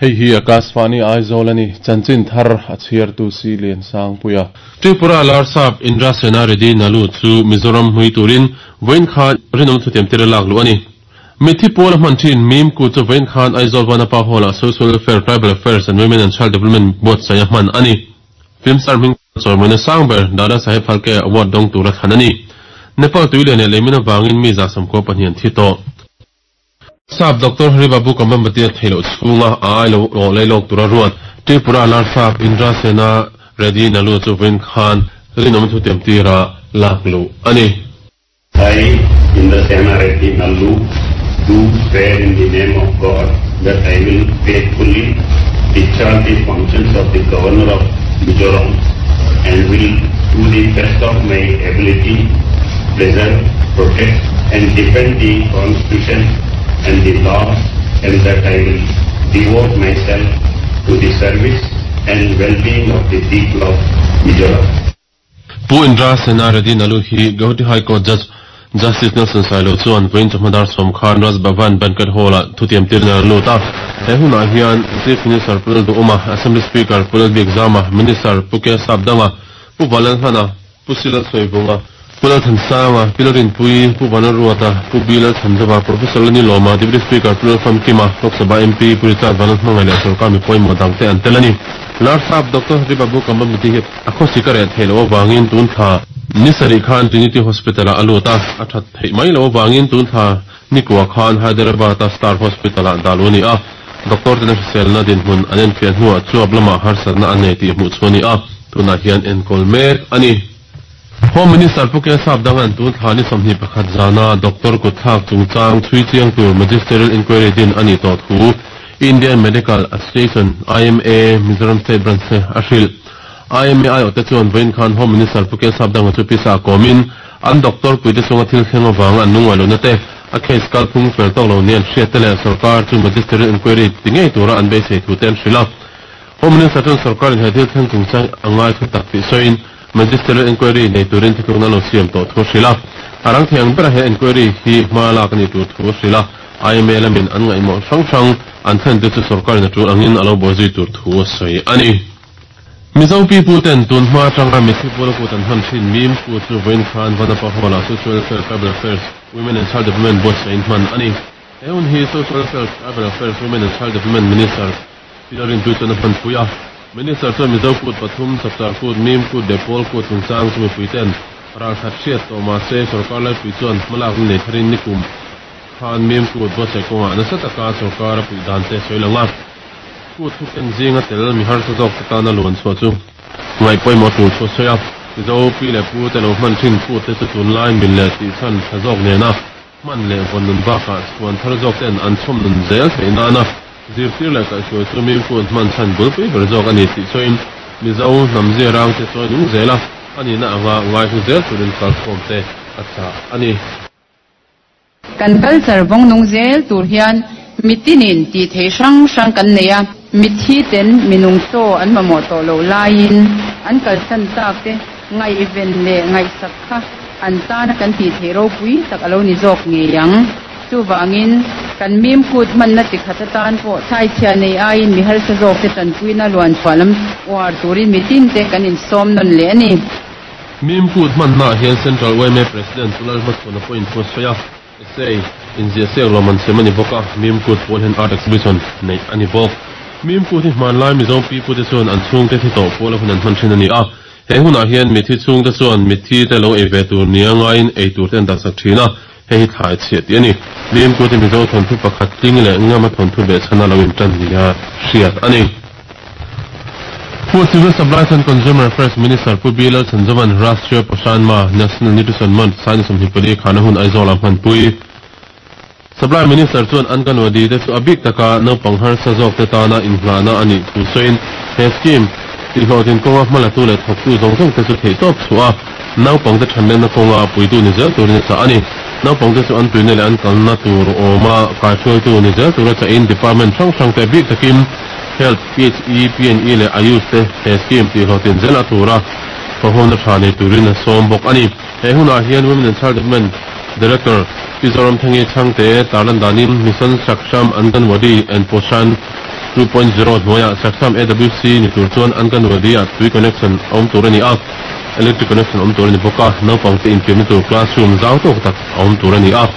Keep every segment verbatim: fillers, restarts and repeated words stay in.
Hei hi Akashvani Aizawl ani chanchin thar a chhiar tu si lian sang puia. Tripura Larsap Indra Sena Reddy Nalu chu Mizoram hui turin vawiin khan rinawm thutiam tir a lak luh a ni. Mithi pawl a hman thin Mim Kut chu vawiin khan Aizawl Vanapa Hall-ah Social Welfare, Tribal Affairs and Women and Child Development buatsaih a hman a ni. Film star hming chawimawina sang ber Dada Saheb Phalke Award dawng tura thlan a ni. Nepal tui lian leh leimin avangin mi za sawmkua pahnih an thi tawh. Sap Doctor Haribabu Kambhampati a theih loh chhunga a ai lo awh lei lawk tura ruat Tripura Larsap Indra Sena Reddy Nalu chu vawiin khan rinawm thutiam tira lak luh a ni. I, Indra Sena Reddy Nallu, do swear in the name of God that I will faithfully discharge the functions of the Governor of Mizoram and will to the best of my ability preserve, protect and defend the Constitution and the laws, and that I will devote myself to the service and well-being of the people of Mizoram. Pu Indra Sena Reddy Nalu hi Guwahati High Court Judge Justice Nelson Sailo chuan vawiin chawhma sawm khan Raj Bhavan Banquet Hall-ah thutiam tirna a lut a. He hunah hian Chief Minister Pu Lalduhoma, Assembly Speaker Pu Lalbiakzama, Minister Pu K Sapdanga, Pu Vanlalhlana, Pu Silalsawivunga, Pu Lalthansanga, Pi Lalrinpui, Pu Vanlalruata, Pu B Lalchhanzova, Professor Lani Lawma, Deputy Speaker Pu Lalfamkima, Lok Sabha M P Pu Richard Vanlalhmangaih leh sorkar mi pawimawh dangte an tel a ni. Larsap Doctor Haribabu Kambhampati hi a khawsik a reh theih loh avangin tun thla ni sarih khan Trinity Hospital-ah a lut a, a that theih mai loh avangin tun thla nikua khan Hyderabad-a Star Hospital-ah dah luh a ni a. Doctor ten a hriselna dinhmun an enfiah hnuah chuap lamah harsatna a nei tih hmuh chu a ni a, tunah hian enkawl mek a ni. Home Minister Pu K Sapdanga'n tun thla ni sawmhnih pakhat zana doctor kutthlak chungchang chhui chiang tur Magisterial Inquiry din a nih tawh thu Indian Medical Association, I M A, Mizoram State Branch te a hrilh. I M A aiawhte chuan vawiin khan Home Minister Pu K Sapdanga chu pisa a kawmin an doctor puite chunga thil thleng avanga an lungngaih lohna te, a case kalphung fel tawk lo nia an hriat te leh sorkar chu Magisterial Inquiry ti ngei tura an beisei thu te an hrilh a. Home Minister chuan sorkarin he thil thleng chungchang a ngai thu tak tih sawiin Magisterial Inquiry nei turin thuthlukna lo siam tawh thu a hrilh a. A rang thei ang bera he inquiry hi hma lak a nih tur thu a hrilh a. I M A lamin an ngaihmawh hrang hrang an thlen te chu sorkarin a tul angin a lo buaizui tur thu a sawi a ni. Mizo pipu ten tun hma atanga mithi pula kut an hman thin Mim Kut chu vawiin khan Vanapa Hall-ah Social Welfare, Tribal Affairs, Women and Child Development buatsaih in hman a ni. He hun hi Social Welfare, Tribal Affairs, Women and Child Development Minister Pi Lalrinpui chuan a hmanpui a. Minister chuan Mizo Kut pathum, Chapchar Kut, Mim Kut leh Pawl Kut chungchang chu mipui ten ralkhat hriat tawh mah se sorkar laipui chuan hmalakna nei tharin nikum khan Mim Kut buatsaih kawngah nasa taka sorkar a puih dan te sawi lang a. Kut thu ken zinga tel mi harsa zawk te tana luan chhuah chu ngaih pawimawh tur chu a sawi a. Mizo pi leh pu te lo hman thin kut te chu tunlai mil leh tihchhan tha zawk nena hman leh vawn nun bakah chhuan thar zawk ten an chhawm nun zel theih nana zirtir leh kaihhruai chu Mim Kut hman chhan bulpui ber zawk a ni tih sawiin Mizo hnam zirang te chuan nung zel a, a nihna anga ngaihlu zel turin kalkhawm te a chah a ni. Kan culture vawng nung zel tur hian mitinin tih theih hrang hrang kan nei a, mithi ten minung chaw an mamawh tawh loh laiin an kalsan tak te ngaihven leh ngaihsak kha an tana kan tih theih ropui tak a lo ni zawk ngei ang. Chuvangin kan Mim Kut hmanna chi khat atan pawh thlaichhia nei aiin mi harsa zawk te tanpuina luan chhuah lam uar turin mitin te kan insawm nawn leh a ni. Mim Kut hmannaah hian Central Y M A President Pu Lalhmachhuana pawhin thu a sawi a, essay inziah siak lawm an siam a ni bawk a, Mim Kut pawl hian art exhibition neih a ni bawk. Mim Kut hi hmanlai Mizo pipute chuan an chhungte thi tawh pawl a hun an hman thin a ni a, he hunah hian mithi chhungte chuan mithi te lo ei ve tur nia ngaiin ei tur te an dahsak thin a, hei hi thlai chhiah tih a ni. Mim Kut hi Mizo thawnthu pakhat tling leh ngama thawnthu behchhana lo intan nia hriat a ni. Pu Civil Supplies and Consumer Affairs Minister Pu B Lalchhanzovan Rashtriya Poshan Maah, National Nutrition Month, Saina sawmhnih pali khana hun Aizawl-ah hmanpui. Supply Minister chuan Anganwadi te chu a bik taka naupang harsa zawk te tana inhlahna a nih thu sawiin he scheme tihhlawhtlin kawnga hmalatu leh thawktu zawng zawng te chu theihtawp chhuah a, naupang te thanlenna kawnga a puitu ni zel turin a chah a ni. Naupang te chu an tuina leh an kalna tur awma kaihruaitu ni zel tura chahin department hrang hrang te bik takin Health, P H E, P and E leh Ayush te he scheme tihhlawhtlin zel a tura thawhawna tha nei turin a sawm bawk a ni. He hunah hian Women and Child Development Director Pi Zoramthangi Chhangte tarlan danin Mission Saksham Anganwadi and Poshan two point zero hnuaiah Saksham A W C ni tur chuan Anganwadi ah tui connection a awm tur a ni a, electric connection a awm tur a ni bawk a, naupang te infiamna tur classroom zau tawk tak a awm tur a ni a,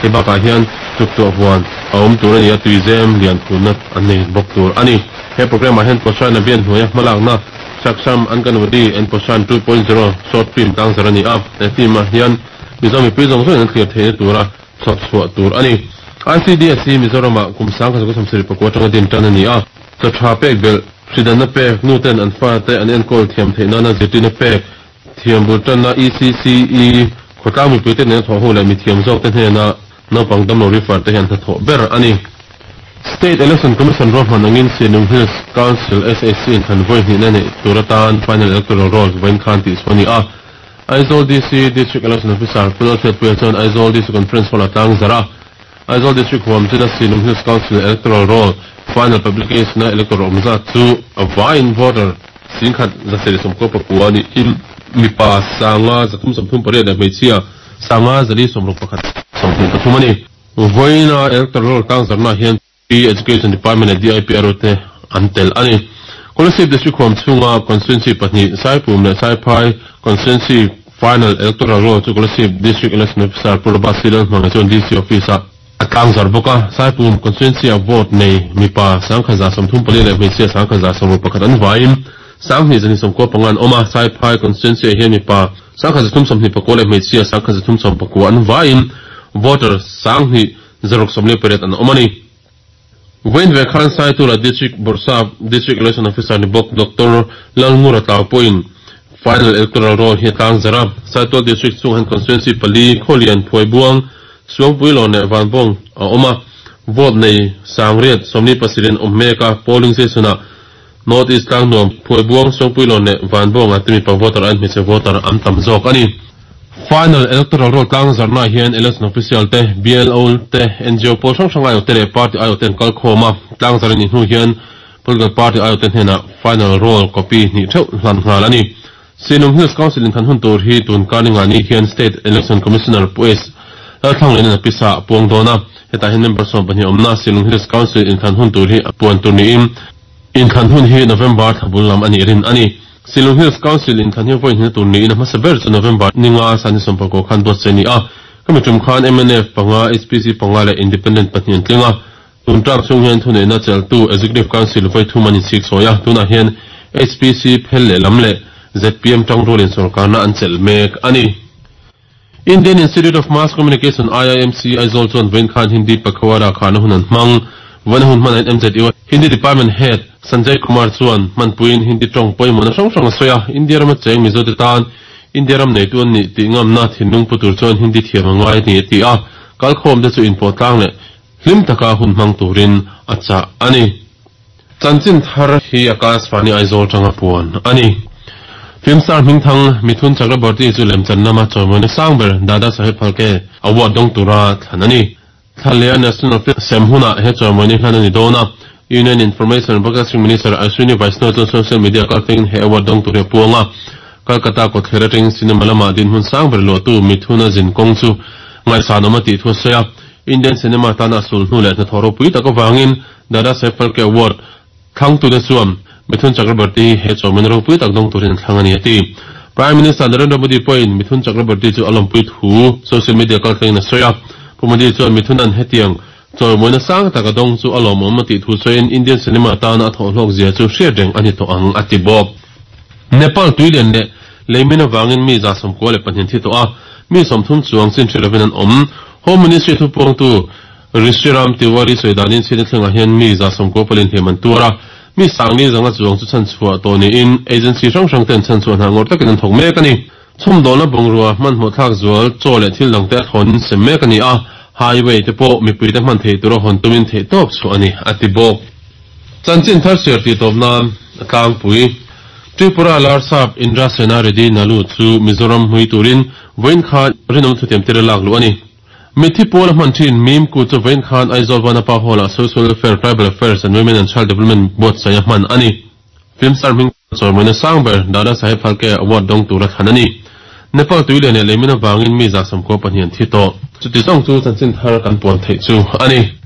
hei bakah hian chuktuah huan a awm tur a ni a, tuizem lian phunna an nei bawk tur a ni. He program ah hian Poshan Abhiyan hnuaia hmalakna Saksham Anganwadi and Poshan two point zero short film tlangzar a ni a, he film ah hian Mizo mipui zawng zawngin an thlir theihna tura chhawp chhuah tur a ni. I C D S hi Mizoramah kum sang kha zakua sawmsarih pakua atanga din tan a ni a, chaw tha pek belh, hridanna pek, nuten an fate an enkawl thiam theih nana zirtirna pek, thiam bul tanna E C C E khawtlang mipuite nena thawh ho leh mithiam zawk te hnena naupang damlo refer te hi an hnathawh ber a ni. State Election Commission ruahman angin Sinung Hills Council S A C in thlan vawi hnihna neih tur atan Final Electoral Rolls vawiin khan tih chhuah a ni a. Aizawl D C District Election Officer Pu Lalhriatpuia chuan Aizawl D C Conference Hall-a tlang zarh a. Aizawl District huam china Sinung Hills Council Electoral Roll Final Publication-a electoral awm zat chu a vaiin voter singkhat zasarih sawmkua pakua niin mipa sanga zathum sawmthum pariat leh hmeichhia sanga zali sawmruk pakhat sawmhnih pathum a ni. Vawiina Electoral Roll tlang zarhnaah hian P Education Department leh D I P R O te an tel a ni. Kolasib District huam chhunga Constituency pahnih Saipum leh Saiphai Constituency Final Electoral Roll chu Kolasib District Election Officer Pu Robert C. Lalhmanga chuan D C Office-ah a tlang zar bawk a. Saipum Constituency-a vote nei mipa sangkhaza sawmthum pali leh hmeichhia sangkhaza sawmruk pakhat an vaiin sanghnih zahnih sawmkua panga an awm a. Saiphai Constituency-ah hian mipa sangkhaza thum sawmhnih pakua leh hmeichhia sangkhaza thum sawm pakua an vaiin voter sanghnih zaruk sawmli pariat an awm a ni. Vawiin ve khan Saitura District Bawrhsap District Election Officer ni bawk Doctor Lalngura Tlau pawhin Final Electoral Roll hi a tlang zarh a. Saitual District chungah hian Constituency pali, Khawlian, Phuaibuang, Suangpuilawn leh Vanbawng a awm a. Vote nei Sangriat, sawmli pasarih an awm mek a, polling station-ah North East Tlangnuam, Phuaibuang, Suangpuilawn leh Vanbawngah te mipa voter aiin hmeichhe voter an tam zawk a ni. Final Electoral Roll tlang zarhnaah hian Election Official te, B L O te, N G O pawl hrang hrang aiawhte leh Party aiawhte an kal khawm a, tlang zarh a nih hnu hian Political Party aiawhte hnenah Final Roll copy hnih theuh hlan nghal a ni. Sinung Hills Council inthan hun tur hi tun karningah ni hian State Election Commissioner Pu S. Lalthlanglaiin a pisa a puang dawn a, hetah hian member sawm pahnih awmna Sinung Hills Council inthan hun tur hi a puan tur niin inthan hun hi November thla bul lam a nih rin a ni. Silung Hills Council inthan hi vawi hnihna tur niin a hmasa ber chu November ninga Sani Sawmpakua khan buatsaih a ni a. Khami tum khan M N F panga, H P C panga leh Independent pahnih an tling a. Tun tlak chhung hian thuneihna cheltu Executive Council vawi thum an inchhik sawi a, tunah hian H P C phel lehlam leh Z P M tangrualin sorkarna an chelh mek a ni. Indian Institute of Mass Communication, I I M C, Aizawl chuan vawiin khan Hindi Pakhawara kharna hun an hmang. Vawiin hun hmanah hian M Z U Hindi Department Head Sanjay Kumar chuan hmanpuiin Hindi tawng pawimawhna hrang hrang a sawi a, India rama cheng Mizote tan India ram neitu an nih tih ngamna thinlung pu tur chuan Hindi thiam a ngai a ni a ti a, kalkhawm te chu inpawh tlang leh hlim taka hun hmang turin a chah a ni. Chanchin thar hi Akashvani Aizawl tanga puan a ni. Film star Hmingthang Mithun Chakraborty chu lemchan lama chawimawina sang ber Dada Saheb Phalke Award dawng tura thlan a ni. Thla leh a National Film sem hunah he chawimawina hlan a ni dawn a. Union Information and Broadcasting Minister Ashwini Vaishnaw chuan social media kaltlengin he award dawng tur hi a puang a. Kolkata kawtthler atangin cinema lama dinhmun sang ber luahtu Mithun-a zin kawng chu ngaihsanawm a tih thu a sawi a. Indian cinema tana a sul hnu leh hnathawh ropui tak avangin Dada Saheb Phalke Award thlangtute chuan Mithun Chakraborty hi he chawhmehna ropui tak dawng turin an thlang a ni a ti. Prime Minister Narendra Modi pawhin Mithun Chakraborty chu a lawmpui thu social media kaltlengin a sawi a. Pu Modi chuan Mithunan hetiang chawimawina sang tak a dawng chu a lawmawm a tih thu sawiin Indian cinema tana a thawhhlawk zia chu hriat reng a ni tawh ang a ti bawk. Nepal tuilian leh leimin avangin mi za sawmkua leh pahnih an thi tawh a, mi sawmthum chuang chin hre lovin an awm. Home Ministry thupuangtu Rishiram Tiwari sawi danin chhiatna thlengah hian mi za sawmkua palin hliam an tuar a, mi sangli zanga chuang chu chhanchhuah tawh niin agency hrang hrang ten chhanchhuah hna ngawr takin an thawk mek a ni. Chhawmdawlna bungrua hmanhmawh thlak zual chaw leh thil dangte a thawn sem mek a ni a, highway te pawh mipuite hman thei tura hawn tumin theih tawp chhuah a ni, a ti bawk. Chanchin thar siar tih tawp nan a tlangpui. Tripura Larsap Indra Sena Reddy Nalu chu Mizoram hmui turin vawiin khan rinawm thutiam tir a lak luh a ni. Mitthi pawl a hman thin Mim Kut chu vawiin khan Aizawl Vanapa Hall-ah Social Welfare, Tribal Affairs and Women and Child Development buatsaih a hman a ni. Film star hming chawimawina sang ber Dada Saheb Phalke Award dawng tura thlan a ni. Nepal tui lian leh leimin avangin mi za sawmkua pahnih an thi tawh. Chuti zawng chu chanchin thar kan puan theih chu a ni.